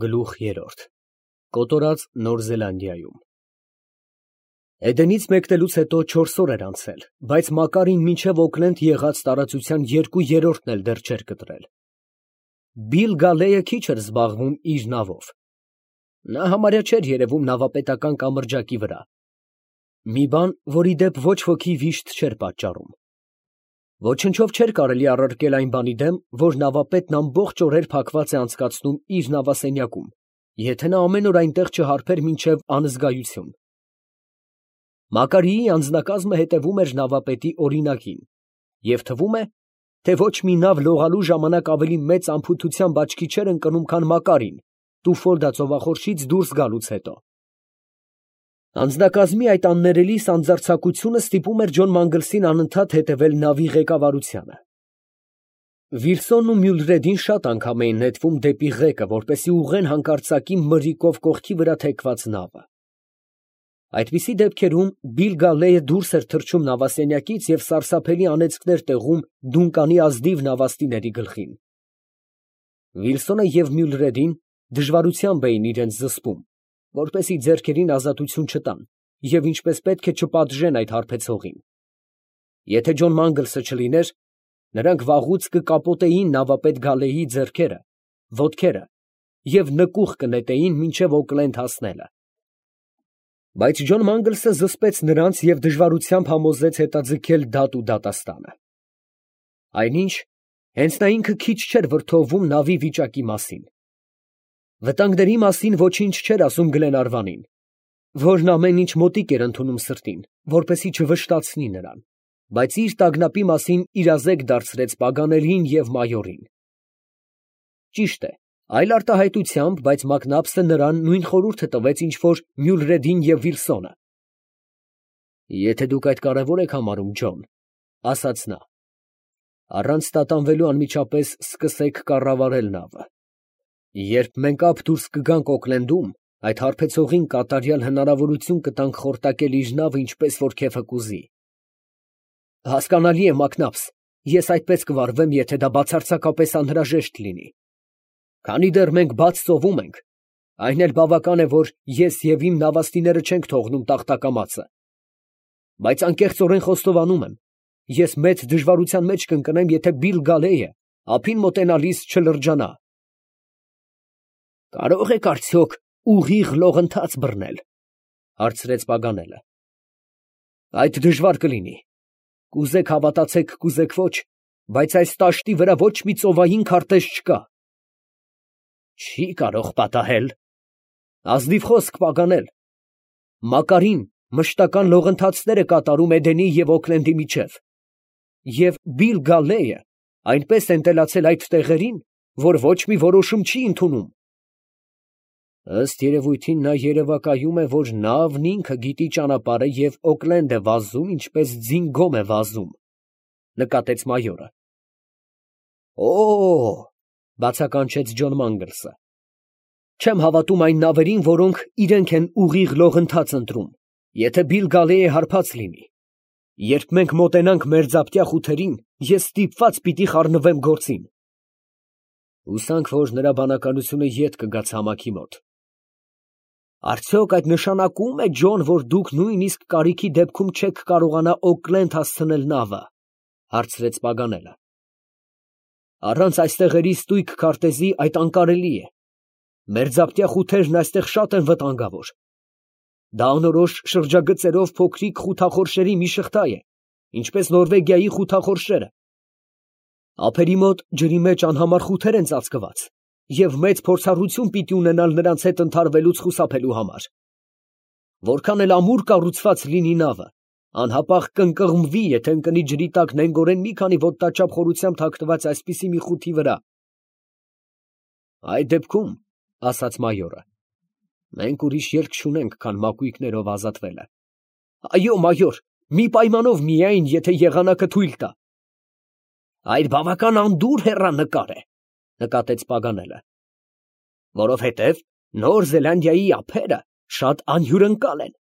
Գլուխ 3 Կոտորած Նոր Զելանդիայում Էդենից մեկնելուց հետո 4 օր էր անցել, բայց Մակարին մինչև Օքլենդ եղած տարածության 2/3-ն էլ դեռ չէր կտրել։ Բիլ Գալեյը քիչ էր զբաղվում իր նավով։ Նա համարյա չէր երևում նավապետական կամրջակի վրա։ Մի բան, որի դեպ ոչ ոքի վիշտ չէր պատճառում։ Ոչնչով չէր կարելի առարկել այն բանի դեմ, որ նավապետն ամբողջ օրեր փակված է անցկացնում իր նավասենյակում, եթե նա ամեն օր այնտեղ չհարբեր մինչև անզգայություն։ Մակարիի անձնակազմը հետևում էր նավապետի օրինակին, և թվում է, թե ոչ մի նավ լողալու ժամանակ ավելի մեծ անփութությամբ աչքի չէր ընկնում, քան Մակարին, Տուֆոլդա ծովախորշից դուրս գալուց հետո։ Անձնակազմի այդ աններելի սանձարձակությունը ստիպում էր Ջոն Մանգլսին անընդհատ հետևել նավի ղեկավարությանը։ Վիլսոնն ու Մյուլրեդին շատ անգամ էին նետվում դեպի ղեկը, որպեսզի ուղղեն հանկարծակի մրրիկով կողքի վրա թեքված նավը։ Այդպիսի դեպքերում Բիլ Գալեյը դուրս էր թռչում նավասենյակից և սարսափելի անեծքներ տեղում Դունկանի ազնիվ նավաստիների գլխին։ Վիլսոնը և Մյուլրեդին դժվարությամբ էին իրենց զսպում, որպեսզի ձեռքերին ազատություն չտան և ինչպես պետք է չպատժեն այդ հարբեցողին։ Եթե Ջոն Մանգլսը չլիներ, նրանք վաղուց կկապոտեին նավապետ Գալեյի ձեռքերը, ոտքերը և նկուղ կնետեին մինչև Օքլենդ հասնելը։ Բայց Ջոն Մանգլսը զսպեց նրանց և դժվարությամբ համոզեց հետաձգել դատ ու դատաստանը։ Այնինչ, հենց նա ինքը քիչ չէր վրդովվում նավի վիճակի մասին։ Վտանգների մասին ոչինչ չէր ասում Գլենարվանին, որն ամեն ինչ մոտիկ էր ընդունում սրտին, որպեսզի չվշտացնի նրան, բայց իր տագնապի մասին իրազեկ դարձրեց Պագանելին և մայորին։ Ճիշտ է, այլ արտահայտությամբ, բայց Մակնաբսը նրան նույն խորհուրդը տվեց, ինչ որ Մյուլրեդին և Վիլսոնը։ Եթե դուք այդ կարևոր եք համարում, Ջոն, ասաց նա, առանց տատանվելու անմիջապես սկսեք կառավարել նավը։ Երբ մենք ափ դուրս կգանք Օքլենդում, այդ հարբեցողին կատարյալ հնարավորություն կտանք խորտակել իր նավը ինչպես որ քեֆը կուզի։ Հասկանալի է, Մակնաբս, ես այդպես կվարվեմ, եթե դա բացարձակապես անհրաժեշտ լինի։ Քանի դեռ մենք բաց ծովում ենք, այն էլ բավական է, որ ես և իմ նավաստիները չենք թողնում տախտակամածը։ Բայց անկեղծորեն խոստովանում եմ, ես մեծ դժվարության մեջ կընկնեմ, եթե Բիլ Գալեյը ափին մոտենալիս չլրջանա։ Կարո՞ղ եք արդյոք ուղիղ լողընթաց բռնել, հարցրեց Պագանելը։ Այդ դժվար կլինի։ Կուզեք հավատացեք, կուզեք ոչ, բայց այս տաշտի վրա ոչ մի ծովային քարտեզ չկա։ Չի կարող պատահել։ Ազնիվ խոսք, Պագանել։ Մակարին մշտական լողընթացներ է կատարում Էդենի և Օքլենդի միջև, և Բիլ Գալեյը այնպես ընտելացել այդ տեղերին, որ ոչ մի որոշում չի ընդունում։ Ըստ երևույթին նա երևակայում է, որ նավն ինքը գիտի ճանապարհը և Օքլենդ է վազում, ինչպես ձին գոմ է վազում, նկատեց մայորը։ Օ՜օ, բացականչեց Ջոն Մանգլսը։ Չեմ հավատում այն նավերին, որոնք իրենք են ուղիղ լողընթաց ընտրում, եթե Բիլ Գալեյը հարբած լինի։ Երբ մենք մոտենանք մերձապտյա խութերին, ես ստիպված պիտի խառնվեմ գործին։ Հուսանք, որ նրա բանականությունը ետ կգա ցամաքի մոտ։ Արդյոք այդ նշանակում է, Ջոն, որ դուք նույնիսկ կարիքի դեպքում չեք կարողանա Օքլենդ հասցնել նավը, հարցրեց Պագանելը։ Առանց այս տեղերի ստույգ քարտեզի այդ անկարելի է։ Մերձապտյա խութերն այստեղ շատ են վտանգավոր։ Դա անորոշ շրջագծերով փոքրիկ խութախորշերի մի շղթա է, ինչպես Նորվեգիայի խութախորշերը։ Ափերի մոտ ջրի մեջ անհամար խութեր են ծածկված, և մեծ փորձառություն պիտի ունենալ նրանց հետ ընդհարվելուց խուսափելու համար։ Որքան էլ ամուր կառուցված լինի նավը, անհապաղ կընկղմվի, եթե ընկնի ջրի տակ նենգորեն մի քանի ոտնաչափ խորությամբ թաքնված այսպիսի մի խութի վրա։ Այդ դեպքում, ասաց մայորը, մենք ուրիշ ելք չունենք, քան մակույկներով ազատվելը։ Այո, մայոր, մի պայմանով միայն, եթե եղանակը թույլ տա։ Այդ բավական անդուր հեռանկար է, նկատեց Պագանելը, որովհետև Նոր Զելանդիայի ափերը շատ անհյուրընկալ են,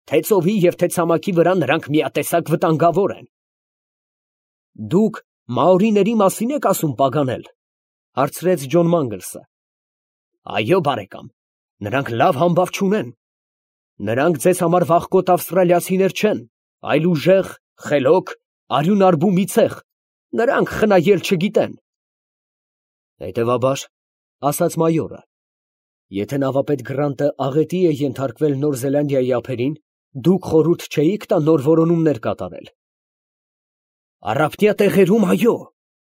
թե ծովի և թե ցամաքի վրա նրանք միատեսակ վտանգավոր են։ Դուք մաորիների մասին եք ասում, Պագանել, հարցրեց Ջոն Մանգլսը։ Այո, բարեկամ, նրանք լավ համբավ չունեն։ Նրանք ձեզ համար վախկոտ ավստրալիացիներ չեն, այլ ուժեղ, խելոք, արյունարբու մի ցեղ, նրանք խնայել չգիտեն։ Հետևաբար, ասաց մայորը, եթե նավապետ Գրանտը աղետի է ենթարկվել Նոր Զելանդիայի ափերին, դուք խորհուրդ չէիք տա նոր որոնումներ կատարել։ Առափնյա տեղերում այո,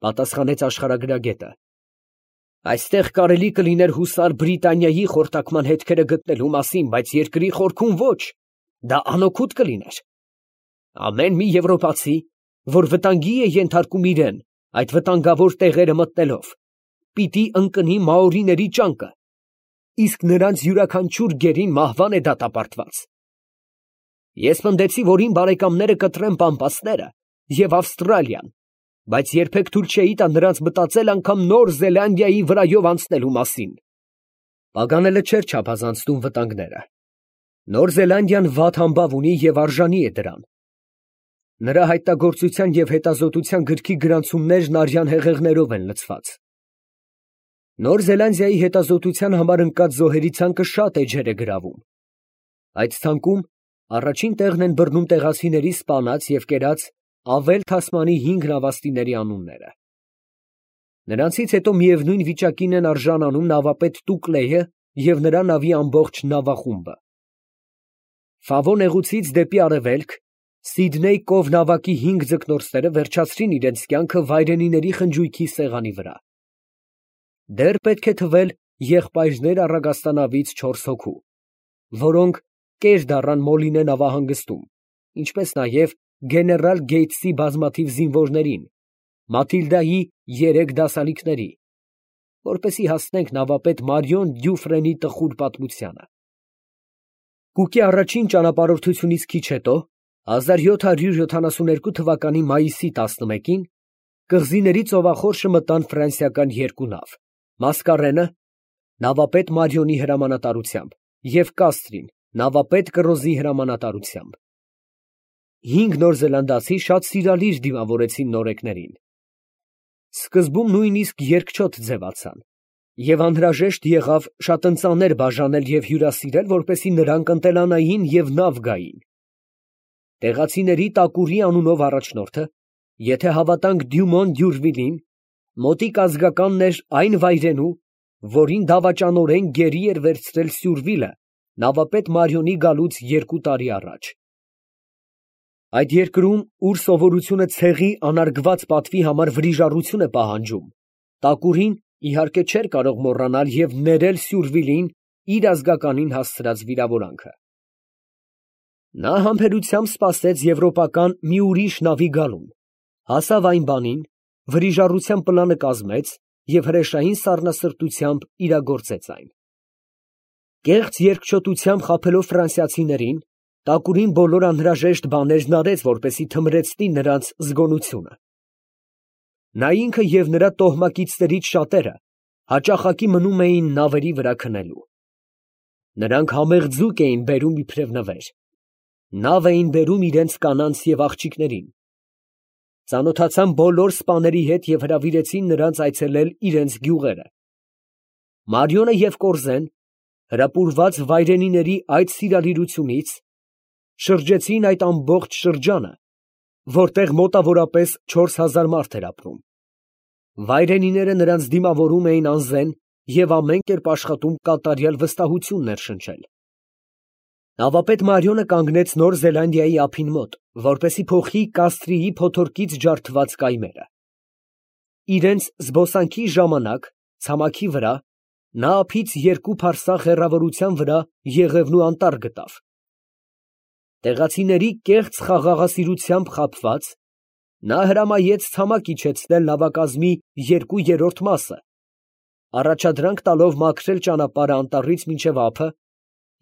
պատասխանեց աշխարհագրագետը։ Այստեղ կարելի կլիներ հուսալ Բրիտանիայի խորտակման հետքերը գտնելու մասին, բայց երկրի խորքում ոչ, դա անօգուտ կլիներ։ Ամեն մի եվրոպացի, որ վտանգի է ենթարկում իրեն, այդ վտանգավոր տեղերը մտնելով, պիտի ընկնի մաորիների ճանկը, իսկ նրանց յուրաքանչյուր գերին մահվան է դատապարտված։ Ես պնդեցի, որ իմ բարեկամները կտրեն պամպասները և Ավստրալիան, բայց երբեք թույլ չէի տա նրանց մտածել անգամ Նոր Զելանդիայի վրայով անցնելու մասին։ Պագանելը չէր չափազանցնում վտանգները։ Նոր Զելանդիան վատ համբավ ունի և արժանի է դրան։ Նրա հայտնագործության և հետազոտության գրքի գրանցումներն արյան հեղեղներով են լցված։ Նոր Զելանդիայի հետազոտության համար ընկած զոհերի ցանկը շատ էջեր է գրավում։ Այդ ցանկում առաջին տեղն են բռնում տեղացիների սպանած և կերած Ավել Թասմանի 5 նավաստիների անունները։ Նրանցից հետո միևնույն վիճակին են արժանանում նավապետ Տուկլեյը և նրա նավի ամբողջ նավախումբը։ Ֆավո նեղուցից դեպի արևելք Սիդնեյ կով նավակի 5 ձկնորսները վերջացրին իրենց կյանքը վայրենիների խնջույքի սեղանի վրա։ Դեռ պետք է թվել եղբայրներ առագաստանավից 4 հոգու, որոնք կեր դառան Մոլինե նավահանգստում, ինչպես նաև գեներալ Գեյթսի բազմաթիվ զինվորներին, Մաթիլդայի 3 դասալիկների, որպեսզի հասնենք նավապետ Մարիոն Դյուֆրենի տխուր պատմությանը։ Կուկի առաջին ճանապարհորդությունից քիչ հետո, 1772 թվականի մայիսի 11-ին, կղզիների ծովախորշը մտան ֆրանսիական 2 նավ, Մասկարենը, նավապետ Մարիոնի հրամանատարությամբ, և Կաստրին, նավապետ Կռոզի հրամանատարությամբ։ 5 նորզելանդացի շատ սիրալիր դիմավորեցին նորեկներին։ Սկզբում նույնիսկ երկչոտ ձևացան, և անհրաժեշտ եղավ շատ ընծաներ բաժանել և հյուրասիրել, որպեսզի նրանք ընտելանային և նավ գային։ Տեղացիների Տակուրի անունով առաջնորդը, եթե հավատանք Դյումոն Դյուրվիլին, մոտիկ ազգականն էր այն վայրենու, որին դավաճանորեն գերի էր վերցրել Սյուրվիլը նավապետ Մարիոնի գալուց 2 տարի առաջ։ Այդ երկրում, ուր սովորությունը ցեղի անարգված պատվի համար վրիժառություն է պահանջում, Տակուրին իհարկե չէր կարող մոռանալ և ներել Սյուրվիլին իր ազգականին հասցրած վիրավորանքը։ Նա համբերությամբ սպասեց եվրոպական մի ուրիշ նավի գալուն, հասավ այն բանին, վրիժառության պլանը կազմեց և հրեշային սառնասրտությամբ իրագործեց այն։ Կեղծ երկչոտությամբ խաբելով ֆրանսիացիներին, Տակուրին բոլոր անհրաժեշտ բաներն արեց, որպեսզի թմրեցնի նրանց զգոնությունը։ Նա ինքը և նրա տոհմակիցներից շատերը հաճախակի մնում էին նավերի վրա քնելու։ Նրանք համեղ ձուկ էին բերում իբրև նվեր։ Նավ էին բերում իրենց կանանց և աղջիկներին։ Ծանոթացան բոլոր սպաների հետ և հրավիրեցին նրանց այցելել իրենց գյուղերը։ Մարիոնը և Կորզեն, հրապուրված վայրենիների այդ սիրալիրությունից, շրջեցին այդ ամբողջ շրջանը, որտեղ մոտավորապես 4000 մարդ էր ապրում։ Վայրենիները նրանց դիմավորում էին անզեն և ամեն կերպ աշխատում կատարյալ վստահություն ներշնչել։ Նավապետ Մարիոնը կանգնեց Նոր Զելանդիայի ափին մոտ, որպեսզի փոխի Կաստրիի փոթորկից ջարդված կայմերը։ Իրենց զբոսանքի ժամանակ, ցամաքի վրա, նա ափից 2 փարսաղ հեռավորության վրա Եղևնու անտառ գտավ։ Տեղացիների կեղծ խաղաղասիրությամբ խաբված, նա հրամայեց ցամաք իջեցնել նավակազմի 2/3 մասը, առաջադրանք տալով մաքրել ճանապարհը անտառից մինչև ափը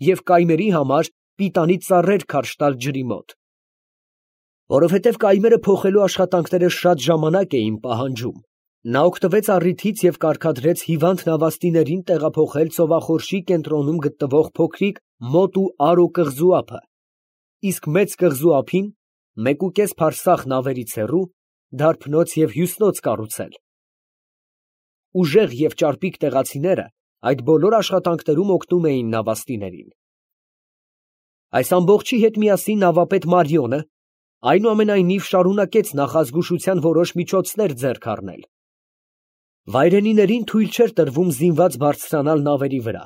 և կայմերի համար պիտանի ծառեր քարշ տալ ջրի մոտ։ Որովհետև կայմերը փոխելու աշխատանքները շատ ժամանակ էին պահանջում, նա օգտվեց առիթից և կարգադրեց հիվանդ նավաստիներին տեղափոխել ծովախորշի կենտրոնում գտնվող փոքրիկ Մոտ ու Արո կղզու ափը, իսկ Մեծ կղզու ափին 1,5 փարսաղ նավերից հեռու դարբնոց և հյուսնոց կառուցել։ Ուժեղ և ճարպիկ տեղացիները այդ բոլոր աշխատանքներում օգնում էին նավաստիներին։ Այս ամբողջի հետ միասին նավապետ Մարիոնը այնուամենայնիվ շարունակեց նախազգուշության որոշ միջոցներ ձեռք առնել։ Վայրենիներին թույլ չէր տրվում զինված բարձրանալ նավերի վրա,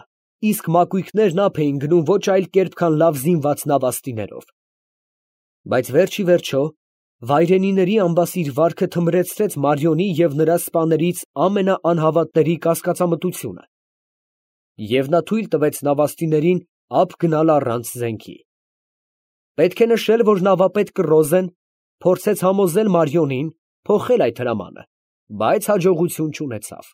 իսկ մակույկներն ափ էին գնում ոչ այլ կերպ, քան լավ զինված նավաստիներով։ Բայց վերջ ի վերջո վայրենիների ամբասիր վարքը թմրեցրեց Մարիոնի և նրա սպաներից ամենաանհավատների կասկածամտությունը, և նա թույլ տվեց նավաստիներին ափ գնալ առանց զենքի։ Պետք է նշել, որ նավապետ Կռոզեն փորձեց համոզել Մարիոնին փոխել այդ հրամանը, բայց հաջողություն չունեցավ։